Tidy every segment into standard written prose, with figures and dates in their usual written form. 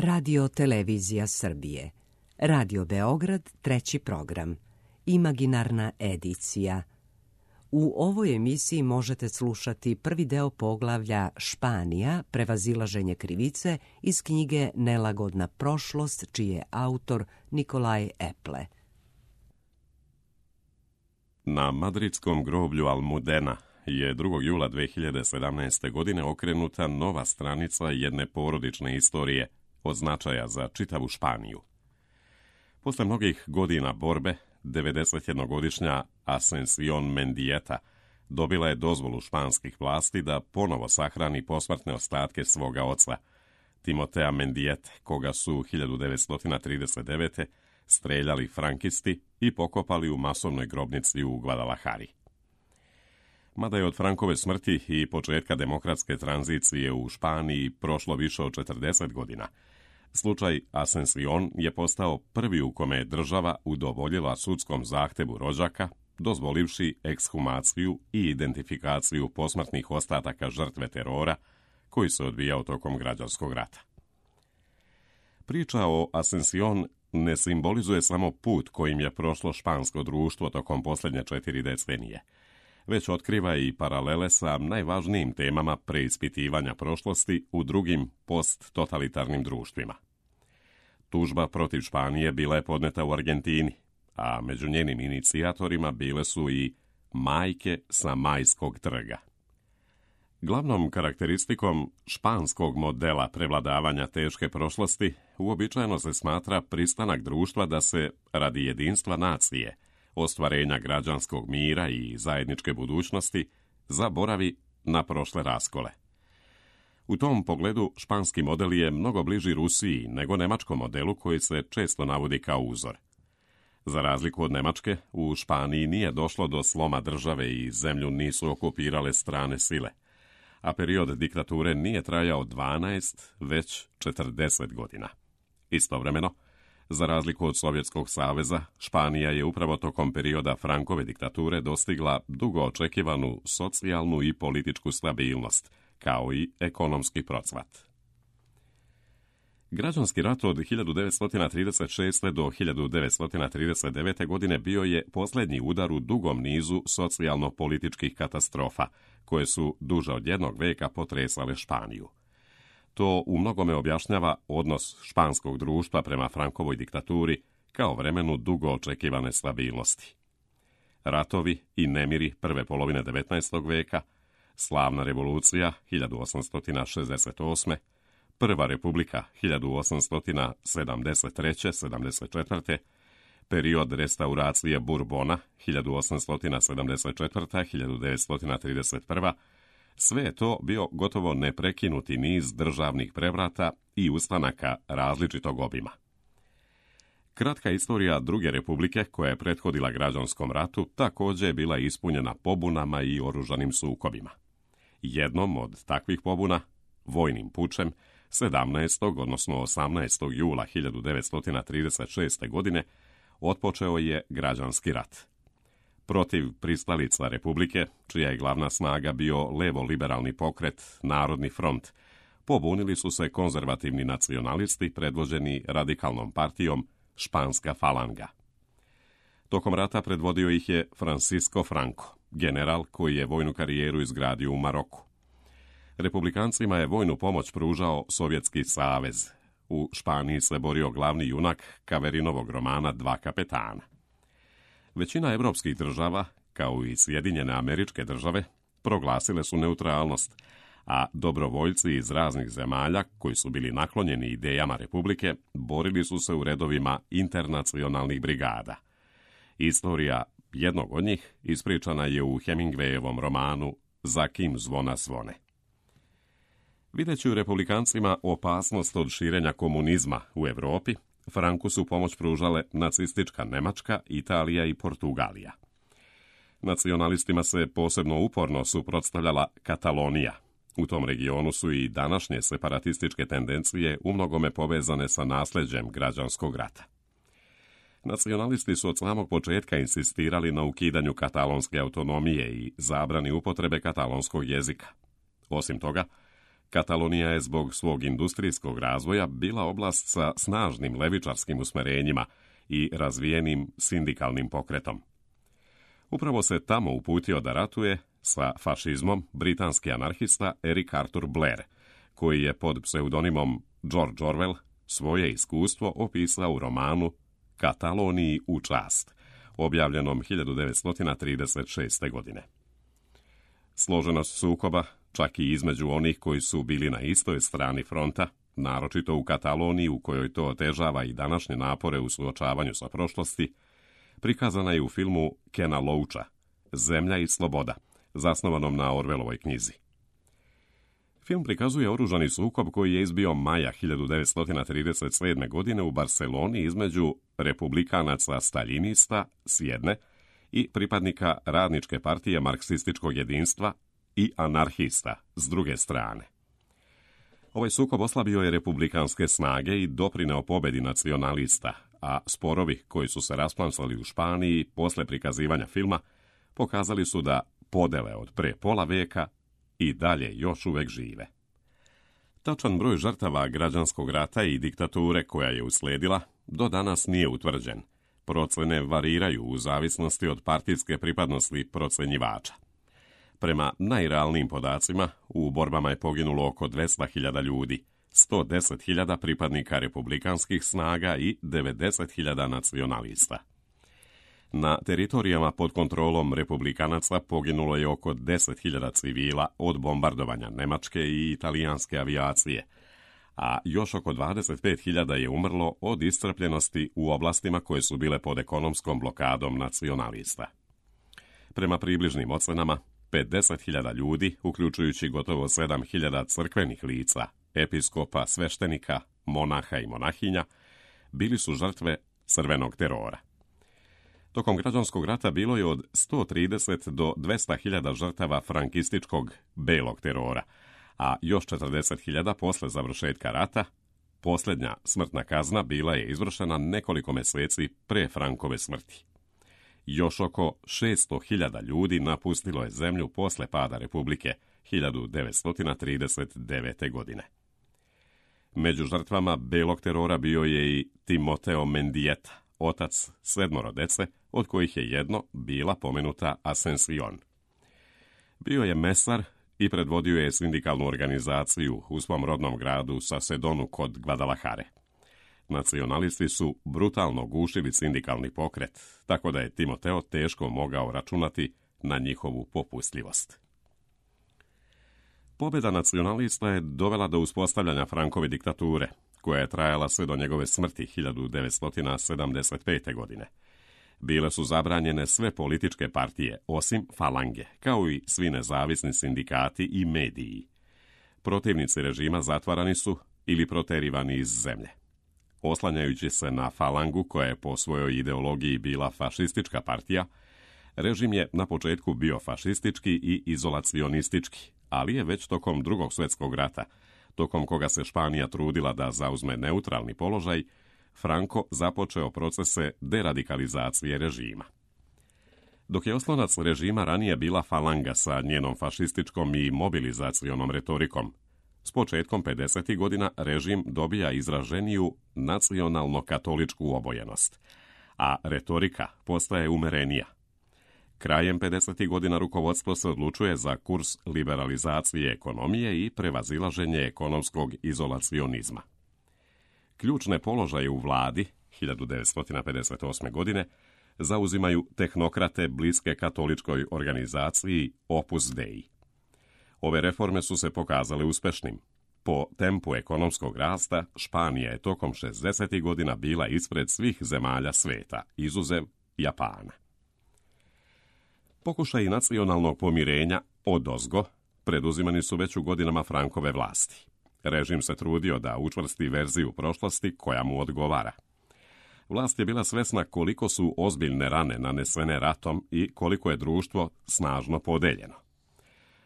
Radio Televizija Srbije. Radio Beograd, treći program. Imaginarna edicija. U ovoj emisiji možete slušati prvi deo poglavlja Španija, prevazilaženje krivice iz knjige Nelagodna prošlost, čiji je autor Nikolaj Eple. Na madridskom groblju Almudena je 2. jula 2017. godine okrenuta nova stranica jedne porodične istorije od značaja za čitavu Španiju. Posle mnogih godina borbe, 91-godišnja Ascensión Mendieta dobila je dozvolu španskih vlasti da ponovo sahrani posmrtne ostatke svoga oca, Timotea Mendiete, koga su 1939. streljali frankisti i pokopali u masovnoj grobnici u Guadalajari. Mada je od Frankove smrti i početka demokratske tranzicije u Španiji prošlo više od 40 godina, slučaj Ascensión je postao prvi u kome je država udovoljila sudskom zahtevu rođaka, dozvolivši ekshumaciju i identifikaciju posmrtnih ostataka žrtve terora koji se odvijao tokom građanskog rata. Priča o Ascensión ne simbolizuje samo put kojim je prošlo špansko društvo tokom posljednje 4 decenije, već otkriva i paralele sa najvažnijim temama preispitivanja prošlosti u drugim posttotalitarnim društvima. Tužba protiv Španije bila je podneta u Argentini, a među njenim inicijatorima bile su i majke sa Majskog trga. Glavnom karakteristikom španskog modela prevladavanja teške prošlosti uobičajeno se smatra pristanak društva da se, radi jedinstva nacije, ostvarenja građanskog mira i zajedničke budućnosti, zaboravi na prošle raskole. U tom pogledu španski model je mnogo bliži Rusiji nego nemačkom modelu koji se često navodi kao uzor. Za razliku od Nemačke, u Španiji nije došlo do sloma države i zemlju nisu okupirale strane sile, a period diktature nije trajao 12, već 40 godina. Istovremeno, za razliku od Sovjetskog saveza, Španija je upravo tokom perioda Frankove diktature dostigla dugo očekivanu socijalnu i političku stabilnost, kao i ekonomski procvat. Građanski rat od 1936. do 1939. godine bio je posljednji udar u dugom nizu socijalno-političkih katastrofa, koje su duže od jednog veka potresale Španiju. To u mnogome objašnjava odnos španskog društva prema Frankovoj diktaturi kao vremenu dugo očekivane stabilnosti. Ratovi i nemiri prve polovine 19. veka, slavna revolucija 1868. Prva republika 1873-74. Period restauracije Bourbona 1874-1931. Sve je to bio gotovo neprekinuti niz državnih prevrata i ustanaka različitog obima. Kratka istorija druge republike, koja je prethodila građanskom ratu, također je bila ispunjena pobunama i oružanim sukobima. Jednom od takvih pobuna, vojnim pučem, 17. odnosno 18. jula 1936. godine, otpočeo je građanski rat. Protiv pristalica republike, čija je glavna snaga bio levo-liberalni pokret Narodni front, pobunili su se konzervativni nacionalisti predvođeni radikalnom partijom Španska falanga. Tokom rata predvodio ih je Francisco Franco, general koji je vojnu karijeru izgradio u Maroku. Republikancima je vojnu pomoć pružao Sovjetski savez. U Španiji se borio glavni junak Kaverinovog romana Dva kapetana. Većina evropskih država, kao i Sjedinjene Američke Države, proglasile su neutralnost, a dobrovoljci iz raznih zemalja, koji su bili naklonjeni idejama republike, borili su se u redovima internacionalnih brigada. Istorija jednog od njih ispričana je u Hemingwayevom romanu Za kim zvona zvone. Videći u republikancima opasnost od širenja komunizma u Europi, Franku su pomoć pružale nacistička Nemačka, Italija i Portugalija. Nacionalistima se posebno uporno suprotstavljala Katalonija. U tom regionu su i današnje separatističke tendencije umnogome povezane sa nasleđem građanskog rata. Nacionalisti su od samog početka insistirali na ukidanju katalonske autonomije i zabrani upotrebe katalonskog jezika. Osim toga, Katalonija je zbog svog industrijskog razvoja bila oblast sa snažnim levičarskim usmerenjima i razvijenim sindikalnim pokretom. Upravo se tamo uputio da ratuje sa fašizmom britanski anarhista Eric Arthur Blair, koji je pod pseudonimom George Orwell svoje iskustvo opisao u romanu Kataloniji u čast, objavljenom 1936. godine. Složenost sukoba, čak i između onih koji su bili na istoj strani fronta, naročito u Kataloniji u kojoj to otežava i današnje napore u suočavanju sa prošlosti, prikazana je u filmu Kena Loacha Zemlja i sloboda, zasnovanom na Orwellovoj knjizi. Film prikazuje oružani sukob koji je izbio maja 1937. godine u Barceloni između republikanaca staljinista s jedne i pripadnika radničke partije marksističkog jedinstva i anarhista s druge strane. Ovaj sukob oslabio je republikanske snage i doprineo pobedi nacionalista, a sporovi koji su se rasplamsali u Španiji posle prikazivanja filma pokazali su da podele od pre pola veka i dalje još uvek žive. Tačan broj žrtava građanskog rata i diktature koja je usledila do danas nije utvrđen. Procene variraju u zavisnosti od partijske pripadnosti procenjivača. Prema najrealnijim podacima, u borbama je poginulo oko 200.000 ljudi, 110.000 pripadnika republikanskih snaga i 90.000 nacionalista. Na teritorijama pod kontrolom republikanaca poginulo je oko 10.000 civila od bombardovanja nemačke i italijanske avijacije, a još oko 25.000 je umrlo od iscrpljenosti u oblastima koje su bile pod ekonomskom blokadom nacionalista. Prema približnim ocenama, 50.000 ljudi, uključujući gotovo 7.000 crkvenih lica, episkopa, sveštenika, monaha i monahinja, bili su žrtve crvenog terora. Tokom građanskog rata bilo je od 130 do 200.000 žrtava frankističkog belog terora, a još 40.000 posle završetka rata. Posljednja smrtna kazna bila je izvršena nekoliko meseci pre Frankove smrti. Još oko 600.000 ljudi napustilo je zemlju posle pada Republike 1939. godine. Među žrtvama belog terora bio je i Timoteo Mendieta, otac 7 dece, od kojih je jedno bila pomenuta Ascension. Bio je mesar i predvodio je sindikalnu organizaciju u svom rodnom gradu Sasedonu kod Guadalajare. Nacionalisti su brutalno gušili sindikalni pokret, tako da je Timoteo teško mogao računati na njihovu popustljivost. Pobjeda nacionalista je dovela do uspostavljanja Frankove diktature, koja je trajala sve do njegove smrti 1975. godine. Bile su zabranjene sve političke partije, osim Falange, kao i svi nezavisni sindikati i mediji. Protivnici režima zatvarani su ili proterivani iz zemlje. Oslanjajući se na Falangu, koja je po svojoj ideologiji bila fašistička partija, režim je na početku bio fašistički i izolacionistički, ali je već tokom Drugog svjetskog rata, tokom koga se Španija trudila da zauzme neutralni položaj, Franco započeo procese deradikalizacije režima. Dok je oslonac režima ranije bila Falanga sa njenom fašističkom i mobilizacionom retorikom, s početkom 50. godina režim dobija izraženiju nacionalno-katoličku obojenost, a retorika postaje umerenija. Krajem 50. godina rukovodstvo se odlučuje za kurs liberalizacije ekonomije i prevazilaženje ekonomskog izolacionizma. Ključne položaje u vladi 1958. godine zauzimaju tehnokrate bliske katoličkoj organizaciji Opus Dei. Ove reforme su se pokazale uspešnim. Po tempu ekonomskog rasta, Španija je tokom 60. godina bila ispred svih zemalja sveta, izuzev Japana. Pokušaji nacionalnog pomirenja odozgo preduzimani su već u godinama Frankove vlasti. Režim se trudio da učvrsti verziju prošlosti koja mu odgovara. Vlast je bila svesna koliko su ozbiljne rane nanesene ratom i koliko je društvo snažno podeljeno.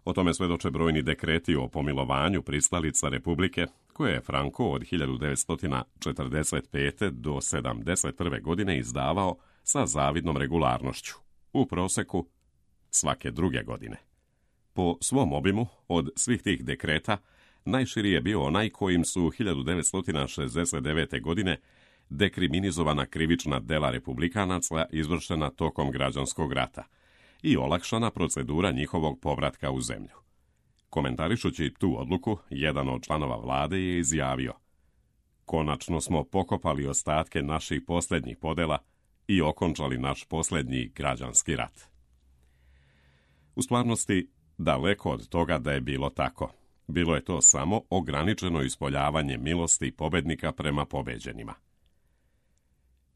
O tome svedoče brojni dekreti o pomilovanju pristalica Republike, koje je Franco od 1945. do 1971. godine izdavao sa zavidnom regularnošću, u proseku svake druge godine. Po svom obimu, od svih tih dekreta, najširi je bio onaj kojim su 1969. godine dekriminizovana krivična dela republikanaca izvršena tokom građanskog rata i olakšana procedura njihovog povratka u zemlju. Komentarišući tu odluku, jedan od članova vlade je izjavio: "Konačno smo pokopali ostatke naših posljednjih podela i okončali naš posljednji građanski rat." U stvarnosti, daleko od toga da je bilo tako. Bilo je to samo ograničeno ispoljavanje milosti pobednika prema pobeđenima.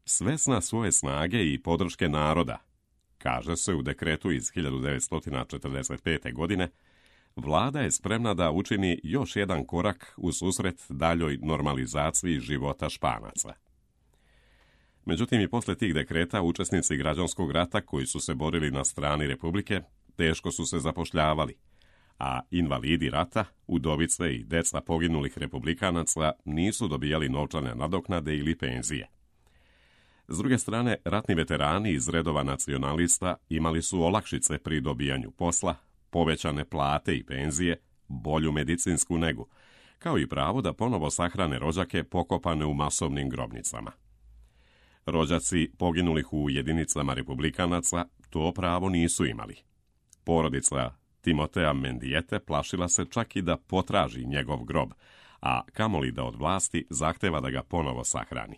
Svesna svoje snage i podrške naroda, kaže se u dekretu iz 1945. godine, vlada je spremna da učini još jedan korak u susret daljoj normalizaciji života Španaca. Međutim, i posle tih dekreta učesnici građanskog rata koji su se borili na strani Republike teško su se zapošljavali, a invalidi rata, udovice i deca poginulih republikanaca nisu dobijali novčane nadoknade ili penzije. S druge strane, ratni veterani iz redova nacionalista imali su olakšice pri dobijanju posla, povećane plate i penzije, bolju medicinsku negu, kao i pravo da ponovo sahrane rođake pokopane u masovnim grobnicama. Rođaci poginulih u jedinicama republikanaca to pravo nisu imali. Porodica Timotea Mendijete plašila se čak i da potraži njegov grob, a kamoli da od vlasti zahteva da ga ponovo sahrani.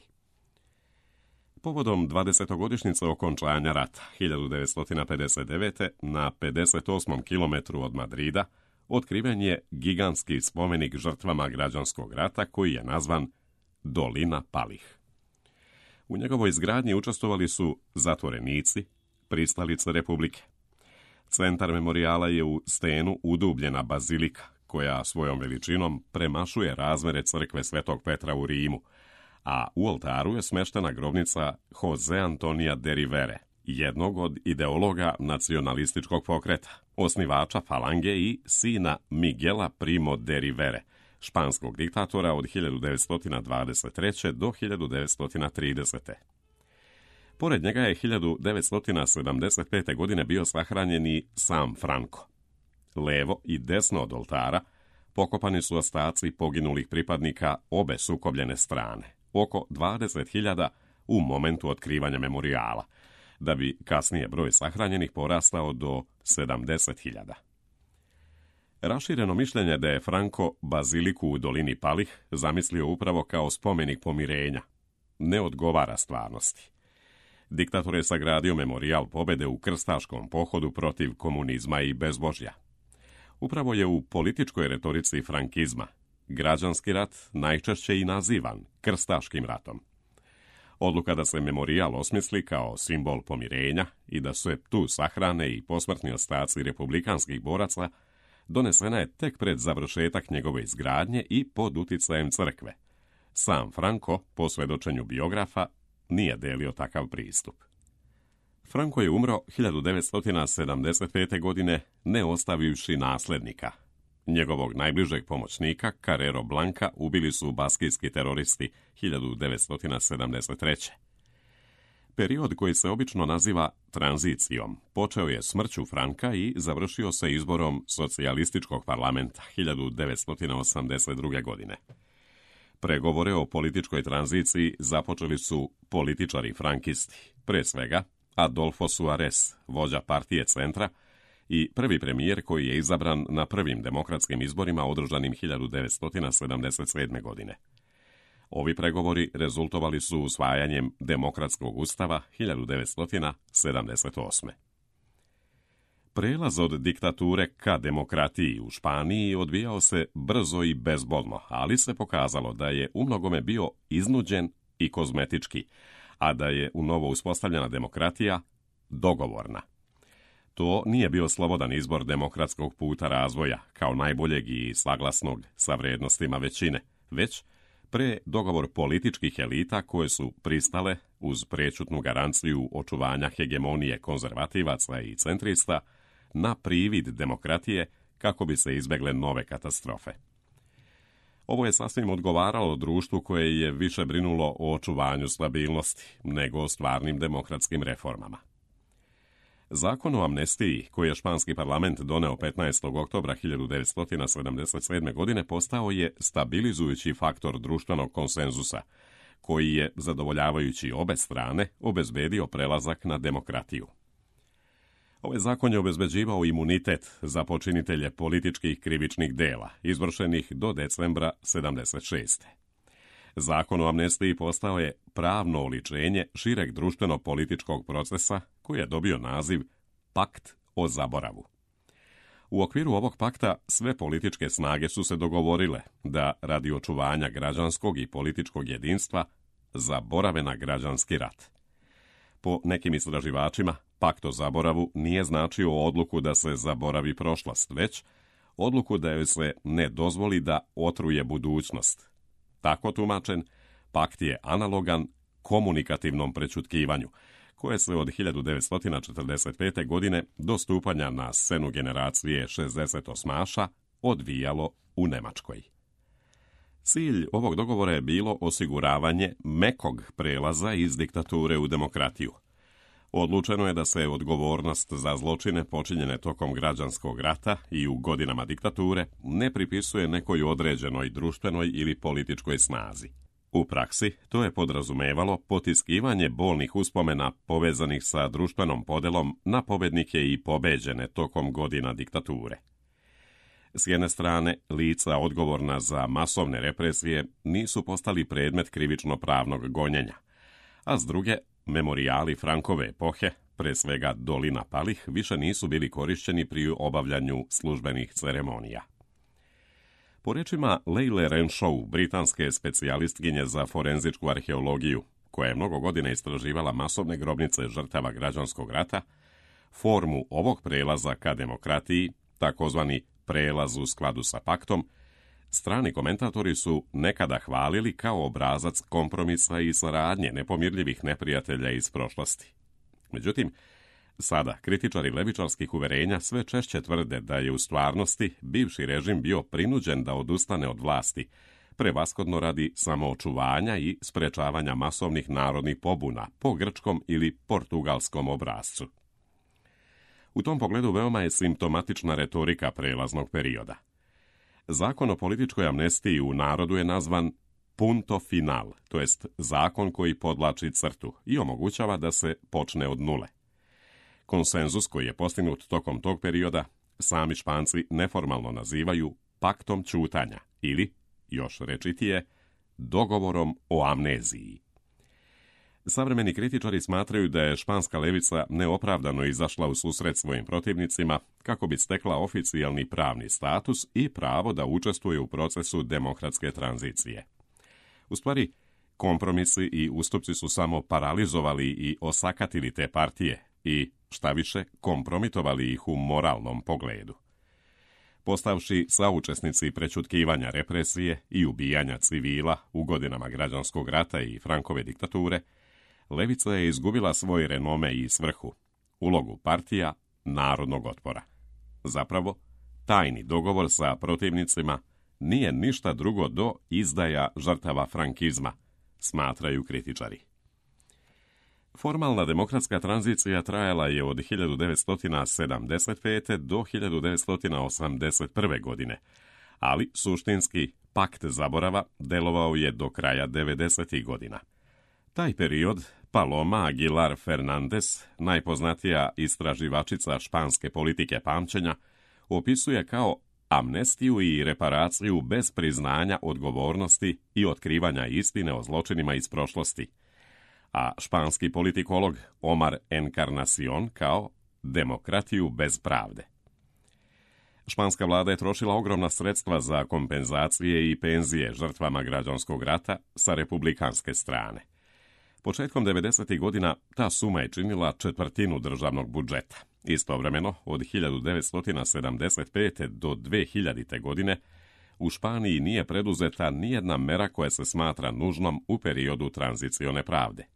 Povodom 20-godišnjice okončanja rata 1959. na 58. kilometru od Madrida otkriven je gigantski spomenik žrtvama građanskog rata koji je nazvan Dolina palih. U njegovoj izgradnji učestvovali su zatvorenici, pristalice Republike. Centar memorijala je u stenu udubljena bazilika, koja svojom veličinom premašuje razmere crkve Svetog Petra u Rimu, a u oltaru je smeštena grobnica Jose Antonija de Rivere, jednog od ideologa nacionalističkog pokreta, osnivača falange i sina Miguela Primo de Rivere, španskog diktatora od 1923. do 1930. Pored njega je 1975. godine bio sahranjen i sam Franco. Levo i desno od oltara pokopani su ostaci poginulih pripadnika obe sukobljene strane, oko 20.000 u momentu otkrivanja memorijala, da bi kasnije broj sahranjenih porastao do 70.000. Rašireno mišljenje da je Franco baziliku u Dolini palih zamislio upravo kao spomenik pomirenja ne odgovara stvarnosti. Diktator je sagradio memorijal pobede u krstaškom pohodu protiv komunizma i bezbožja. Upravo je u političkoj retorici frankizma građanski rat najčešće i nazivan krstaškim ratom. Odluka da se memorijal osmisli kao simbol pomirenja i da se tu sahrane i posmrtni ostaci republikanskih boraca donesena je tek pred završetak njegove izgradnje i pod uticajem crkve. Sam Franco, po svedočenju biografa, nije delio takav pristup. Franco je umro 1975. godine ne ostavivši naslednika. Njegovog najbližeg pomoćnika, Carrero Blanca, ubili su baskijski teroristi 1973. Period koji se obično naziva tranzicijom počeo je smrću Franka i završio se izborom socijalističkog parlamenta 1982. godine. Pregovore o političkoj tranziciji započeli su političari frankisti, pre svega Adolfo Suarez, vođa partije Centra i prvi premijer koji je izabran na prvim demokratskim izborima održanim 1977. godine. Ovi pregovori rezultovali su usvajanjem demokratskog ustava 1978. Prelaz od diktature ka demokratiji u Španiji odvijao se brzo i bezbolno, ali se pokazalo da je umnogome bio iznuđen i kozmetički, a da je u novo uspostavljena demokratija dogovorna. To nije bio slobodan izbor demokratskog puta razvoja, kao najboljeg i saglasnog sa vrednostima većine, već dogovor političkih elita koje su pristale, uz prečutnu garanciju očuvanja hegemonije konzervativaca i centrista, na privid demokratije kako bi se izbegle nove katastrofe. Ovo je sasvim odgovaralo društvu koje je više brinulo o očuvanju stabilnosti nego o stvarnim demokratskim reformama. Zakon o amnestiji, koji je španski parlament doneo 15. oktobra 1977. godine, postao je stabilizujući faktor društvenog konsenzusa, koji je, zadovoljavajući obe strane, obezbedio prelazak na demokratiju. Ovaj zakon je obezbeđivao imunitet za počinitelje političkih krivičnih dela, izvršenih do decembra 1976. Zakon o amnestiji postao je pravno oličenje šireg društveno-političkog procesa koji je dobio naziv Pakt o zaboravu. U okviru ovog pakta sve političke snage su se dogovorile da radi očuvanja građanskog i političkog jedinstva zaborave na građanski rat. Po nekim istraživačima, Pakt o zaboravu nije značio odluku da se zaboravi prošlost, već odluku da joj se ne dozvoli da otruje budućnost. Tako tumačen, pakt je analogan komunikativnom prećutkivanju, koje se od 1945. godine do stupanja na scenu generacije 68-aša odvijalo u Nemačkoj. Cilj ovog dogovora je bilo osiguravanje mekog prelaza iz diktature u demokratiju. Odlučeno je da se odgovornost za zločine počinjene tokom građanskog rata i u godinama diktature ne pripisuje nekoj određenoj društvenoj ili političkoj snazi. U praksi to je podrazumevalo potiskivanje bolnih uspomena povezanih sa društvenom podelom na pobednike i pobeđene tokom godina diktature. S jedne strane, lica odgovorna za masovne represije nisu postali predmet krivično-pravnog gonjenja, a s druge, memorijali Frankove epohe, pre svega Dolina palih, više nisu bili korišćeni pri obavljanju službenih ceremonija. Po rečima Leile Renshaw, britanske specijalistkinje za forenzičku arheologiju, koja je mnogo godina istraživala masovne grobnice žrtava građanskog rata, formu ovog prelaza ka demokratiji, takozvani prelaz u skladu sa paktom, strani komentatori su nekada hvalili kao obrazac kompromisa i saradnje nepomirljivih neprijatelja iz prošlosti. Međutim, sada kritičari levičarskih uverenja sve češće tvrde da je u stvarnosti bivši režim bio prinuđen da odustane od vlasti, prevashodno radi samoočuvanja i sprečavanja masovnih narodnih pobuna po grčkom ili portugalskom obrascu. U tom pogledu veoma je simptomatična retorika prelaznog perioda. Zakon o političkoj amnestiji u narodu je nazvan punto final, to jest zakon koji podvlači crtu i omogućava da se počne od nule. Konsenzus koji je postignut tokom tog perioda sami Španci neformalno nazivaju paktom ćutanja ili, još rečitije, dogovorom o amneziji. Savremeni kritičari smatraju da je španska levica neopravdano izašla u susret svojim protivnicima kako bi stekla oficijalni pravni status i pravo da učestvuje u procesu demokratske tranzicije. U stvari, kompromisi i ustupci su samo paralizovali i osakatili te partije i, šta više, kompromitovali ih u moralnom pogledu. Postavši saučesnici prećutkivanja represije i ubijanja civila u godinama građanskog rata i Frankove diktature, levica je izgubila svoj renome i svrhu, ulogu partija narodnog otpora. Zapravo, tajni dogovor sa protivnicima nije ništa drugo do izdaja žrtava frankizma, smatraju kritičari. Formalna demokratska tranzicija trajala je od 1975. do 1981. godine, ali suštinski pakt zaborava delovao je do kraja 90. godina. Taj period Paloma Aguilar Fernandez, najpoznatija istraživačica španske politike pamćenja, opisuje kao amnestiju i reparaciju bez priznanja odgovornosti i otkrivanja istine o zločinima iz prošlosti, a španski politikolog Omar Encarnacion kao demokratiju bez pravde. Španska vlada je trošila ogromna sredstva za kompenzacije i penzije žrtvama građanskog rata sa republikanske strane. Početkom 90. godina ta suma je činila četvrtinu državnog budžeta. Istovremeno, od 1975. do 2000. godine, u Španiji nije preduzeta nijedna mera koja se smatra nužnom u periodu tranzicione pravde.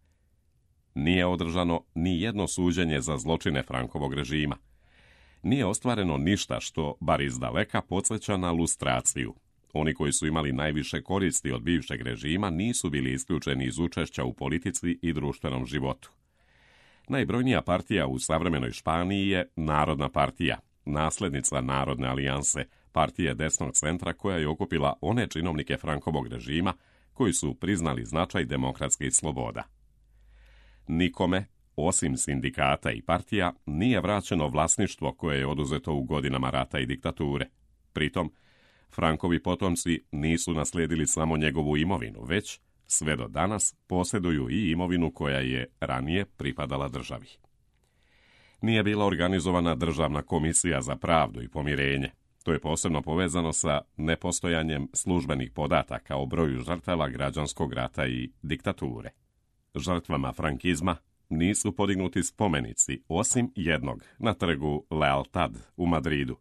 Nije održano ni jedno suđenje za zločine Frankovog režima. Nije ostvareno ništa što, bar izdaleka, podsjeća na lustraciju. Oni koji su imali najviše koristi od bivšeg režima nisu bili isključeni iz učešća u politici i društvenom životu. Najbrojnija partija u savremenoj Španiji je Narodna partija, naslednica Narodne alijanse, partije desnog centra koja je okupila one činovnike Frankovog režima koji su priznali značaj demokratskih sloboda. Nikome, osim sindikata i partija, nije vraćeno vlasništvo koje je oduzeto u godinama rata i diktature. Pritom, Frankovi potomci nisu naslijedili samo njegovu imovinu, već, sve do danas, posjeduju i imovinu koja je ranije pripadala državi. Nije bila organizovana državna komisija za pravdu i pomirenje. To je posebno povezano sa nepostojanjem službenih podataka o broju žrtava građanskog rata i diktature. Žrtvama frankizma nisu podignuti spomenici, osim jednog, na trgu Lealtad u Madridu,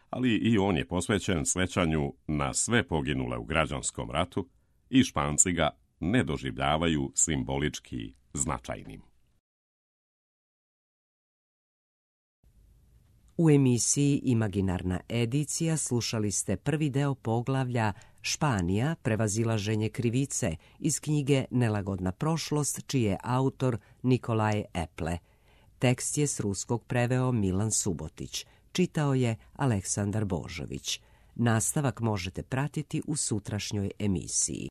ali i on je posvećen sećanju na sve poginule u građanskom ratu i Španci ga ne doživljavaju simbolički značajnim. U emisiji Imaginarna edicija slušali ste prvi deo poglavlja Španija, prevazilaženje krivice iz knjige Nelagodna prošlost, čiji je autor Nikolaj Eple. Tekst je s ruskog preveo Milan Subotić. Čitao je Aleksandar Božović. Nastavak možete pratiti u sutrašnjoj emisiji.